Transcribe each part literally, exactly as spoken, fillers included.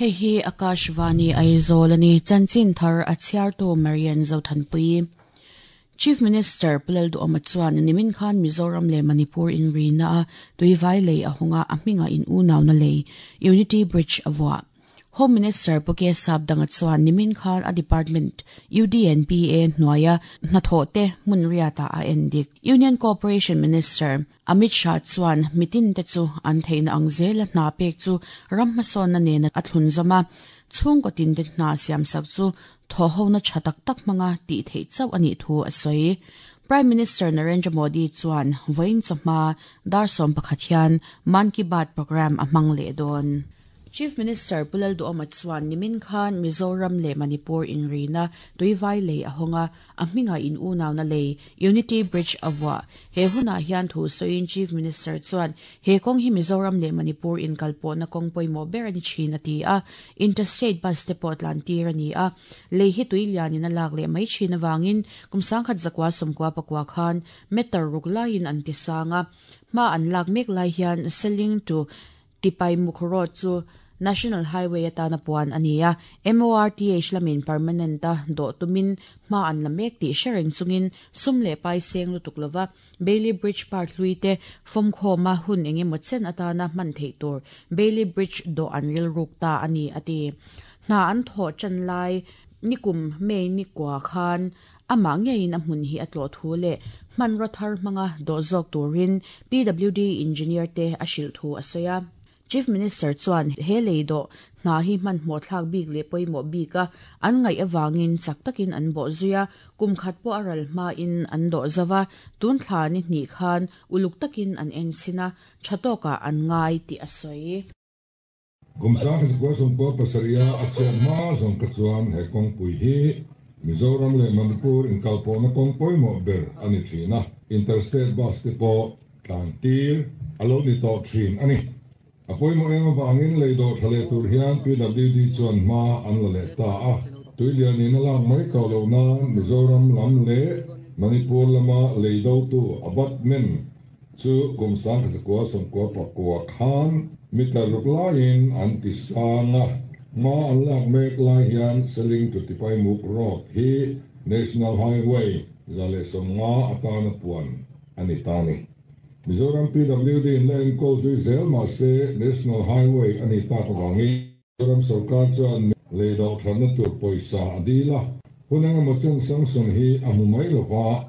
Hei hi Akashvani Aizawl ani chanchin thar a chhiartu Marian Zothanpui. Chief Minister Pu Lalduhoma chuan nimin khan Mizoram leh Manipur inrina a tuivai lei a hunga a hminga in unauna lei Unity Bridge a vuah. Home Minister Pu K Sapdanga chuan nimin khan a department U D N P A hnuaia hnathawh te hmun riata a endik. Union Cooperation Minister Amit Shah chuan mitin te chu an theihna ang zela hna pek chu ram hmasawnna nena a thlun zawm a, chhungkaw tin te hna siamsak chu thaw hona tha tak tak hmanga tih theih chauh anih thu a sawi. Prime Minister Narendra Modi chuan vawiin chawhma dar sawm pakhat hian Mann Ki Baat program a hmang leh dawn. Chief Minister Pu Lalduhoma chuan nimin khan Mizoram leh Manipur inrina tuivai lei a hawnga a hminga in unauna lei Unity Bridge a vuah. He hunah hian thu sawiin Chief Minister chuan he kawng hi Mizoram leh Manipur inkalpawhna kawng pawimawh ber ani thin a ti a, interstate bus te pawh tlan tir ani a, lei hi tui lianin a lak leh mai thin awangin kum sangkhat zakua sawmkua pakua khan meter ruk laiin an ti sang a, hma an lak mek lai hian Seling to Tipai Mukh Road chu National Highway atana puan ani a, M O R T H lamin permanent a dawh tumin hma an la mek tih hre reng chungin sum leh pai seng lutuk lova Bailey Bridge Park hlui te fawm khawma hun engemaw chen atana hman theih tur Bailey Bridge dawh an ril ruk ta ani ati. Hna an thawh chan lai nikum mei ni kwa khan amah ngeiin a hmun hi a tlawh thu leh hman raw thar hmanga dawh zawk turin P W D engineer te a hrilh thu a sawi a. Chief Minister chuan he lei dawh hna hi hman hmuh thlak bik leh pawimawh bik a, an ngaih awangin chak takin an bawh zui a, kum khat pawh a ral hma in an dawh zawa, tun thla ni hnih khan uluk takin an en chhin a, tha tawkah an ngai tih a sawi. Kum sang zakua sawmkua pasarih a chhiat hma zawng ka chuan he kawngpui hi Mizoram leh Manipur inkalpawhna kawng pawimawh ber ani thin a, interstate bus te pawh tlan tir a lo ni tawh thin ani. A pawimawh eng awangin lei dawh tha leh tur hian P W D chuan hma an la leh ta a, tuilianin a lak mai tawh lo nan Mizoram lam leh Manipur lama lei do tu abutment chu kum sang zakua sawmkua pakua khan meter ruk laiin an ti sang a, hma an lak mek lai hian Seling to Tipai Mukh Road hi National Highway za leh sawmnga atana puan ani ta ni. Mizoram P W D in la enkawl zui zel mah se National Highway ani tak awangin Mizoram sarkar chuan lei dawh thatna tur pawisa a dil a, hun engemaw chen sanction hi a hmu mai lova,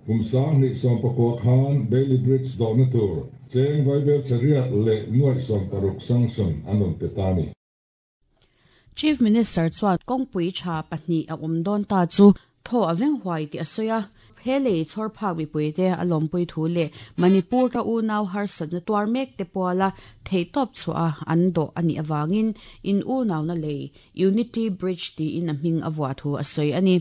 kum sang hnih sawm pakua khan Bailey Bridge dawhna tur cheng vaibel chariat leh nuaih sawm paruk sanction an rawn pe ta ni. Chief Minister chuan kawngpui tha pahnih a awm dawn ta chu thaw a veng huai tih a sawi a, he lei chhawr phak mipui te a lawmpui thu leh Manipur ka unau harsatna tuar mek te puala thei tawp chhuah a an dawh anih awangin in unauna lei Unity Bridge tiin a hming a vuah thu a sawi ani.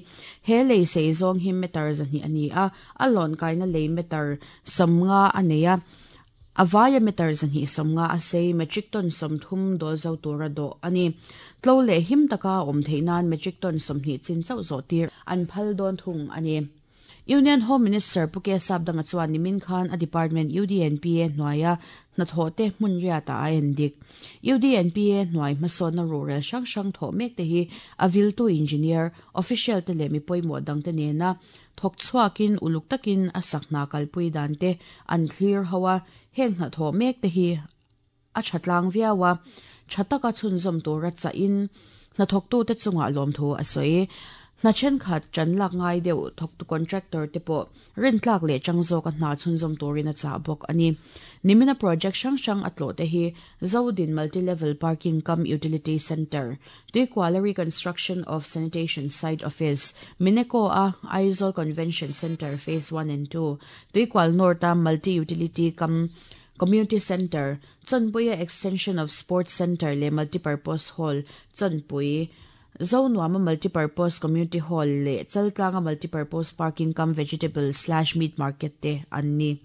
He lei sei zawng hi meter zahnih ani a, a lawn kaina lei meter sawmnga a nei a, a vaia meter zahnih sawmnga a sei metric ton sawmthum dawl zo tura dawh ani. Tlo leh him taka awm theih nan metric ton sawmhnih chin chauh zawh tir an phal dawn thung ani. Union Home Minister Pu K Sapdanga chuan nimin khan a department U D N P A hnuaia hnathawh te hmun riata a endik. U D N P A hnuai hmasawnna rural hrang hrang thawh mek te hi a viltu engineer, official te leh mi pawimawh dang te nena thawk chhuakin uluk takin a sak hna kalpui dan te an thlir ho a, heng hnathawh mek te hi a tha tlang viau a, tha taka chhunzawm tura chahin hnathawk tu te chungah lawm thu a sawi. Hna thenkhat chan lak ngai deuh thawk tu contractor te pawh rin tlak leh chang zawk a hna chhunzawm turin a chah bawk ani. Nimina project hrang hrang a tlawh te hi Zodin Multi-Level Parking cum Utility Center, Tuikuala Reconstruction of Sanitation Site Office, Mineko a Aizawl Convention Center Phase one and two, Tuikual North a Multi-Utility cum Community Center, Chonpuia Extension of Sports Center le Multipurpose Hall, Chonpui, Zonuama Multipurpose Community Hall le Chaltlanga Multipurpose Parking cum Vegetable slash Meat Market te an ni.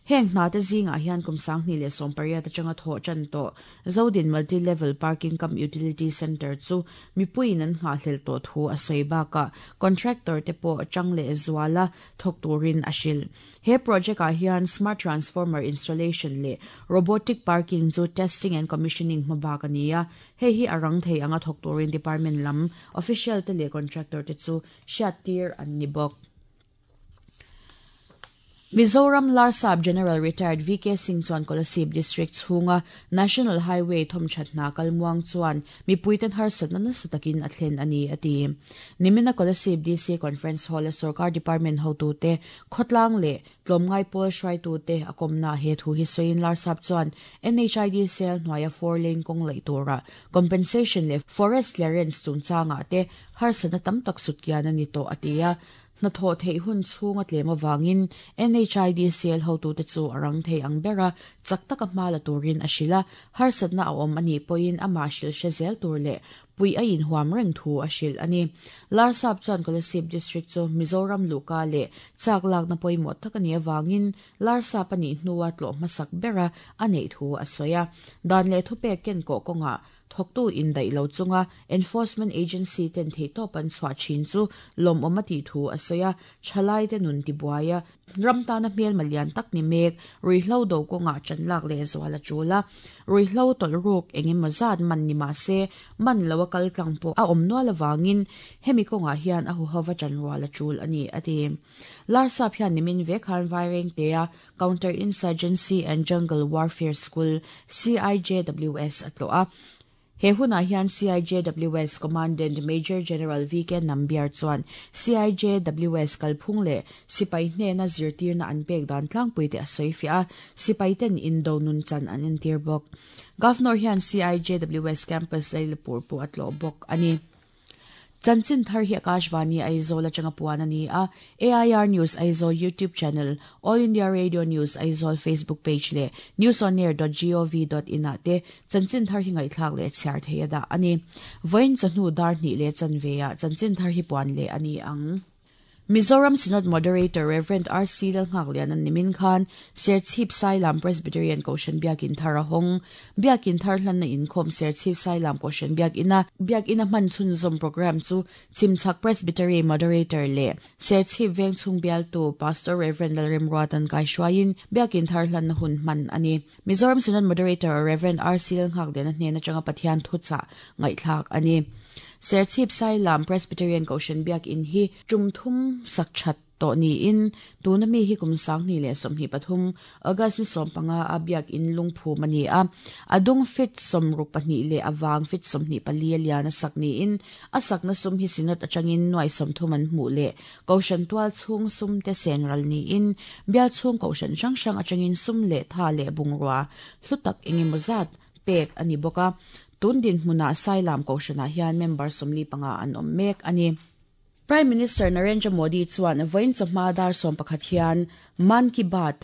Heng hna te zingah hian kum sanghnih leh sawm pariat atanga thawh tan tawh Zodin Multi Level Parking cum Utility Centre chu mipuiin an nghahhlelh tawh thu a sawi bakah contractor te pawh chang leh zuala thawk turin a hrilh. He project ah hian smart transformer installation leh robotic parking chu testing and commissioning hmabak a ni a, hei hi a rang thei anga thawk turin department lam official te leh contractor te chu hriattir an ni bawk. Mizoram Larsap General Retired V K Singh chuan Kolasib District chhunga National Highway thawmthat hna kalmuang chuan mipuiten harsatna nasa takin a thlen a ni a ti. Nimina Kolasib D C Conference Hall a Sarkar Department hotute khawtlang leh tlawmngai pawl hruaitute a kawmna he thu hi sawiin Larsap chuan N H I D cell hnuaia four lane kawng laih tura compensation leh forest clearance chungchangah te harsatna tam tak sutkian a ni tawh a ti a. Na thaw thei hun chhunga tlem awangin N H I D C L hotute chu a rang thei ang bera chak taka hma la turin a hrila harsatna a awm ani pawhin ama hril hre zel tur leh pui a inhuam reng thu a hril ani. Larsap chuan Kolasib District chu Mizoram luka leh chak lakna pawimawh tak ani awangin Larsap ani hnuwa tlawh hmasak bera a neih thu a sawi a. Dan leh thupek ken kawh kawngah thawktu indaih lo chunga enforcement agency ten thei tawp an chhuah thin chu lawm awm a tih thu a sawi a. Thalai te nun ti buai a ram tana hmel malian tak ni mek ruihhlo do kawngah chan lak leh zual a tul a. Ruihhlo tawlh ruk engemaw zat man ni mah se man lo a kal tlang pawh a awm nual awangin hemi kawngah hian a huhova chan rual a tul a ni a ti. Larsap hian nimin vek khan Vaireng te a Counter Insurgency and Jungle Warfare School C I J W S a tlawh a. He hunah hian C I J W S Commandant Major General V K Nambiar chuan C I J W S kalphung leh sipai hnena zirtirna an pek dan tlangpui te a sawi fiah a, sipai ten indo nun chan an entir bawk. Governor hian C I J W S Campus Lailapur pawh a tlawh bawk a ni. Chanchin thar hi Akashvani Aizawl atanga puan a ni a. A I R News Aizawl YouTube channel, All India Radio News Aizawl Facebook page leh newsonair dot gov dot in ah te chanchin thar hi ngaihthlak leh chhiar thei a dah a ni. Vawiin chawhnu dar hnih leh chanve ah chanchin thar hi puan leh a ni ang. Mizoram Synod Moderator Reverend R C Lalnghaklian an nimin khan Serchhip Sailam Presbyterian Kohhran Biakin thar a hawng. Biakin thar hlanna inkhawm Serchhip Sailam Kohhran Biakina Biakina hman chhunzawm program chu Chimchak Presbytery Moderator leh Serchhip Vengchhung bialtu Pastor Reverend Lalremruatan Kaihruaiin Biakin thar hlanna hun hman a ni. Mizoram Synod Moderator Reverend R C Lalnghaklian a hnena atanga Pathian thuchah ngaihthlak a ni. Serchhip Sailam Presbyterian Kohhran Biakin hi tum thum sak that tawh niin tuna mi hi kum sanghnih leh sawmhnih pathum August ni sawm panga a biakin lungphum a ni a. A dung fit sawmruk pahnih leh awang fit sawmhnih pali a lian a sak niin a sakna sum hi synod atangin nuai sawmthum an hmuh leh Kohhran tual chhung sum te senral niin bial chhung Kohhran hrang hrang atangin sum leh tha leh bungrua hlu tak engemaw zat pek a ni bawk a. Tun din hmunah Sailam Kohhranah hian member sawmli panga an awm mek a ni. Prime Minister Narendra Modi chuan vawiin chawhma dar sawm pakhat hian Mann Ki Baat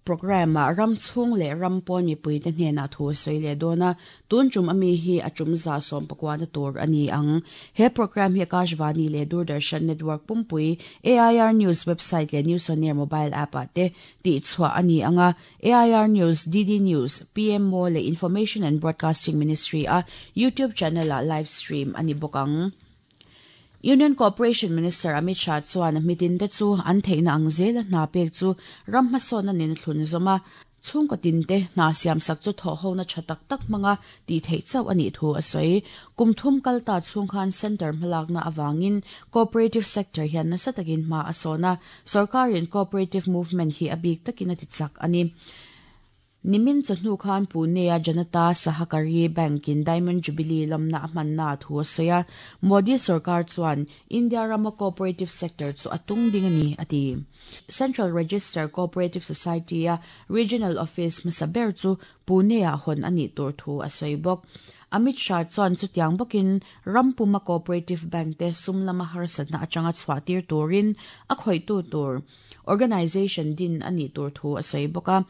program ah ram chhung leh ram pawn mipui te hnenah thu a sawi leh dawn a. Tun tum ami hi a tum za sawm pakuana tur a ni ang. He program hi Akashvani leh Doordarshan Network pumpui A I R News website leh News on Air mobile app ah te tih chhuah a ni anga. A I R News, D D News, P M O leh Information and Broadcasting Ministry a YouTube channel ah live stream a ni bawk ang. Union Cooperation Minister Amit Shah chuan mitin te chu an theihna ang zel a hna pek chu ram hmasawn a nin thlun zawm a. Chhungkaw tin te hna siam sak chu thawh hona tha tak tak hmanga tih theih chauh a nih thu a sawi. Kum thum kal ta chhung khan center hmalakna awangin cooperative sector hian nasa takin hma a sawn a. Sarkarin cooperative movement hi a bik takin a ti chak a ni. Nimin chawhnu khan Pune a Janata Sahakari Bank in Diamond Jubilee lamna a hmanna thu a sawi a. Modi Sarkar chuan India rama cooperative sector chu a tung ding a ni a ti. Central Register Cooperative Society a Regional Office hmasa ber chu Pune ah hawn a nih tur thu a sawi bawk. Amit Shah chuan chutiang bawkin Rampuma Cooperative Bank te sum lama harsatna atanga chhuah tir turin a khawihtu tur organization din a nih tur thu a sawi bawk a.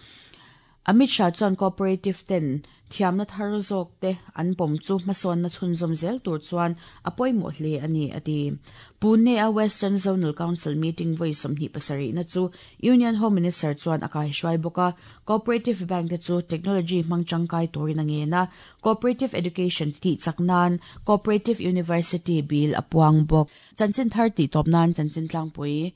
Amit Shah chuan cooperative ten thiamna thar zawk te an pawm chu hmasawn na chhunzawm zel tur chuan a pawimawh hle a ni a ti. Pune a Western Zonal Council meeting vawi sawmhnih pasarih na chu Union Home Minister chuan a kaihruai bawk a, Cooperative Bank te chu technology hmang tangkai turin a ngen a, Cooperative Education tih chak nan Cooperative University bill a puang bawk. Chanchin thar tih tawp nan chanchin tlangpui.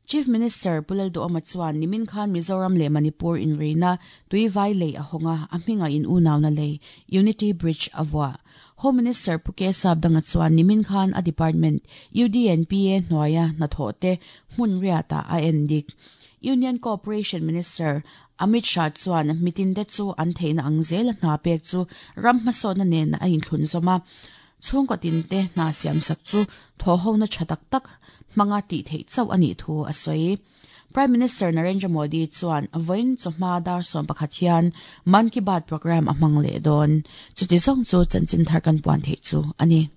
Chief Minister Pu Lalduhoma chuan nimin khan Mizoram leh Manipur inrina Tuivai lei a hawnga a hminga in unauna lei Unity Bridge a vuah. Home Minister Pu K Sapdanga chuan nimin khan a department U D N P A hnuaia hnathawh te hmun riatah a en dik. Union Cooperation Minister Amit Shah chuan mitin te chu an theihna ang zel a hna pek chu ram hmasawhna nen a inthlun zawm a. Chhungkaw tin te hna siam sak chu thaw hona tha tak tak hmanga tih theih chauh a nih thu a sawi. Prime Minister Narendra Modi chuan vawiin chawhma dar sawm pakhat hian Mann Ki Baat program a hmang leh dawn. Chuti zawng chu chanchin thar kan puan theih chu a ni.